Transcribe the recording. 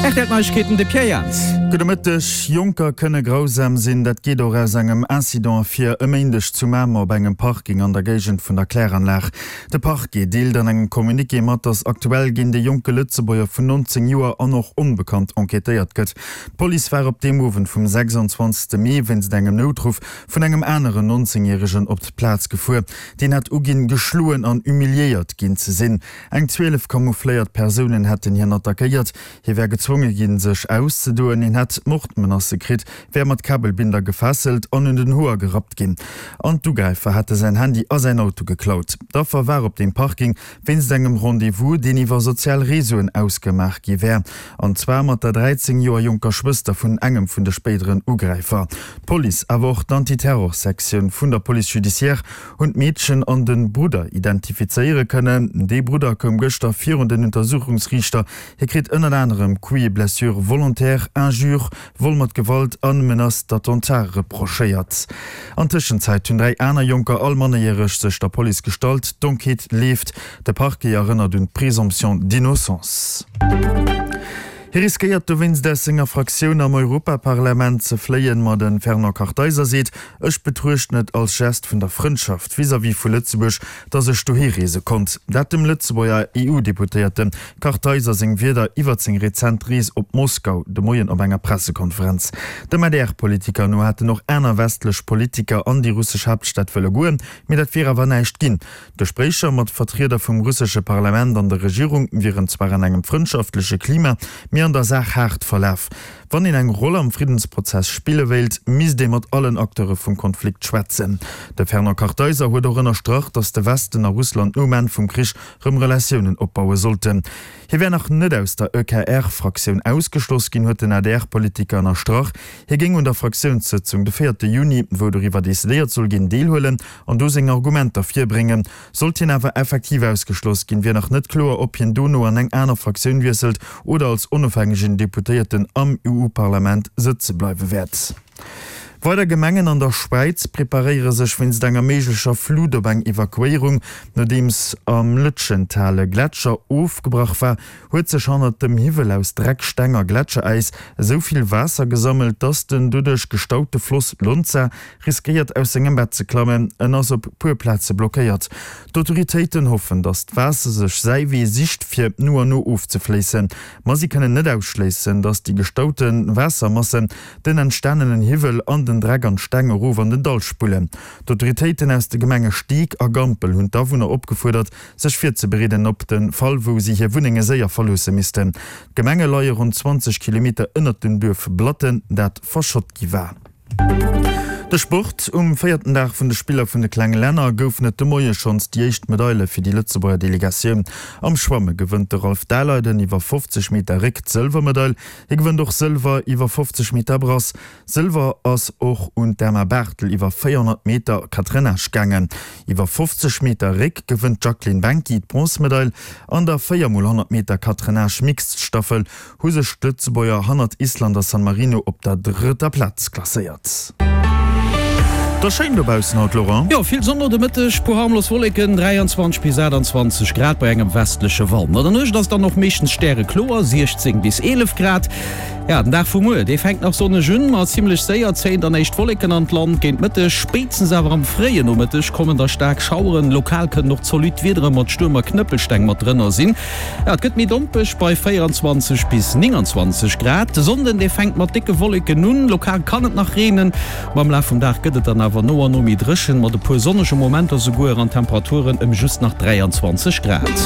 Rtl Neiegkeeten, de Pierre Jans. Gudde Mëtteg. Jonker kënne grausam sinn. Dat geet och aus engem Incident ervir e Méindeg zu Mamer op engem Parking an der Géigend vun der Kläranlag. De Parquet deelt an engem Communiqué mat, datt aktuell géint e jonke Lëtzebuerger vun 19 Joer an och onbekannt enquêtéiert gëtt. D'Police war op deem Owend vum 26 Mee wéinst engem Noutruff vun engem aneren 19 Järegen op d'Plaz gefuer. Deen hätt uginn, geschloen an humiliéiert ginn ze sinn. Eng 12 camoufléiert Persounen hätten hien attackéiert. Hie wär gezwonge ginn, sech auszedoen. Hien hätt Mordmenacë kritt, wär mat Kabelbinder gefesselt an un den Hoer gerappt ginn. An d'Ugräifer hätte säin Handy a säin Auto geklaut. D'Affer war op deem Parking wéinst engem Rendez-vous, deen iwwer sozial Reseauen ausgemaach gi wär. An zwar mat der 13 Joer jonker Schwëster vun engem vun de spéideren Ugräifer. D'Police, awer och d'Antiterrorsektioun vun der Police judiciaire hunn d'Meedchen an de Brudder identifizéiere kënnen. Dee Brudder koum gëschter virun den Untersuchungsriichter. Hie kritt ënnert anerem Coups et blessures volontaires, Injures, Vol mat Gewalt an Menace d'attentat reprochéiert. An Tëschenzäit hunn 3 aner Jonker, all mannerjäreg, sech der Police gestallt. D'Enquête leeft. De Parquet erënnert un d'Présomption d'innocence. Hie riskéiert dowéinst aus senger Fraktioun am Europaparlament ze fléien. Ma de Fernand Kartheiser seet, Ech betruechten et als Gest vun der Frëndschaft vis-à-vis vu Lëtzebuerg, datt ech dohi reese konnt. Dat dem Lëtzebuerger EU-Deputéierte Kartheiser seng Wierder iwwert seng rezent Rees op Moskau de Moien op enger Pressekonferenz. Dem ADR-Politiker no hätten och aner westlech Politiker an déi russesch Haaptstad wëlle goen, mee dat wier awer näischt ginn. D'Gespréicher mat Vertrieder vum russesche Parlament an der Regierung wieren zwar an engem frëndschaftleche Klima, mee an der Saach haart verlaf. Wann een eng Roll am Friddensprozess spille wéilt, misst ee mat allen Acteure vum Konflikt schwätzen. De Fernand Kartheiser huet och ënnerstrach, datt de Westen a Russland nom Enn vum Krich rëm Relatiounen opbaue sollten. Hie wär nach net aus der EKR-Fraktioun ausgeschloss ginn, huet den ADR-Politiker ënnerstrach. Hie géing un der Fraktiounssëtzung de véierte Juni, wou doriwwer decidéiert soll ginn, deelhuelen an do seng Argumenter virbréngen. Sollt hien awer effektiv ausgeschloss ginn, wier nach net kloer, ob hien dono an eng aner Fraktioun wiesselt oder als onofhängegen Deputéierten am EU-Parlament sëtze bleiwe wäert. Weider Gemengen an der Schwäiz preparéiere sech wéinst enger méiglecher Flut op eng Evakuéierung. Nodeems am Lötschental e Gletscher ofgebrach war, huet sech hannert dem Hiwwel aus Dreck, Steng a Gletscheräis esou vill Waasser gesammelt, dass den doduerch gestaute Floss Lonza riskéiert aus sengem Bett ze klammen. En ass op puer Plaze blockéiert. D'Autoritéiten hoffen, datt d'Waasser sech säi Wee sicht fir no an no ofzefléissen. Ma si kënnen net ausschléissen, datt déi gestaute Waassermassen den entstanenen Hiwwel an den Dreck an d'Steng erof an den Dall spullen. D'Autoritéiten aus de Gemenge Steek a Gampel hunn d'Awunner opgefuerdert, sech virzebereeden op de Fall, wou si hir Wunnenge séier verloosse missten. D'Gemenge leie ronn 20 Kilometer ënnert dem Duerf Blatten, dat verschott gi war. De Sport, Um véierten Dag vun de Spiller vun de klenge Länner goufen et de Moie schonns déi éischt Medaile fir déi Lëtzebuerger Delegatioun. Am Schwamme gewënnt de Ralph Daleiden iwwer 50 Meter Réck d'Sëlwermedail. Hie gewënnt och Sëlwer iwwer 50 Meter Brass. Sëlwer ass och un d'Emma Barthel iwwer 400 Meter Catrennage gaangen. Iwwer 50 Meter Réck gewënnt d'Jacqueline Benki d'Bronzmedail. An der 4 mol 100 Meter Catrennage Mixed Staffel hu sech d'Lëtzebuerger hannert Island a San Marino op der drëtter Plaz klasséiert. Et ass schéin dobaussen haut, Laurent. Jo, vill Sonn no de Mëtteg, puer harmlos Wolleken, 23 bis 28 Grad bei engem westleche Wand. An der Nuecht ass et dann och meeschtens stärekloer, 16 bis 11 Grad. Ja, den Dag vu muer, dee fänkt nach sonneg un, ma zimmlech séier zéien dann éischt Wolleken an d'Land. Géint Mëtteg, spéitstens awer am fréie Nomëtteg kommen da staark Schaueren. Lokal kënnen och zolidd Wiedere mat Stuerm a Knëppelsteng mat drënner sinn. Ja, et gëtt méi dompeg bei 24 bis 29 Grad. De Sonnden, dee fänkt mat décke Wolleken un, lokal kann et nach reenen, ma am Laf vum Dag gëtt et dann awer no an no méi dréchen, mat e puer sonnege Momenter souguer an Temperaturen ëm just nach 23 Grad.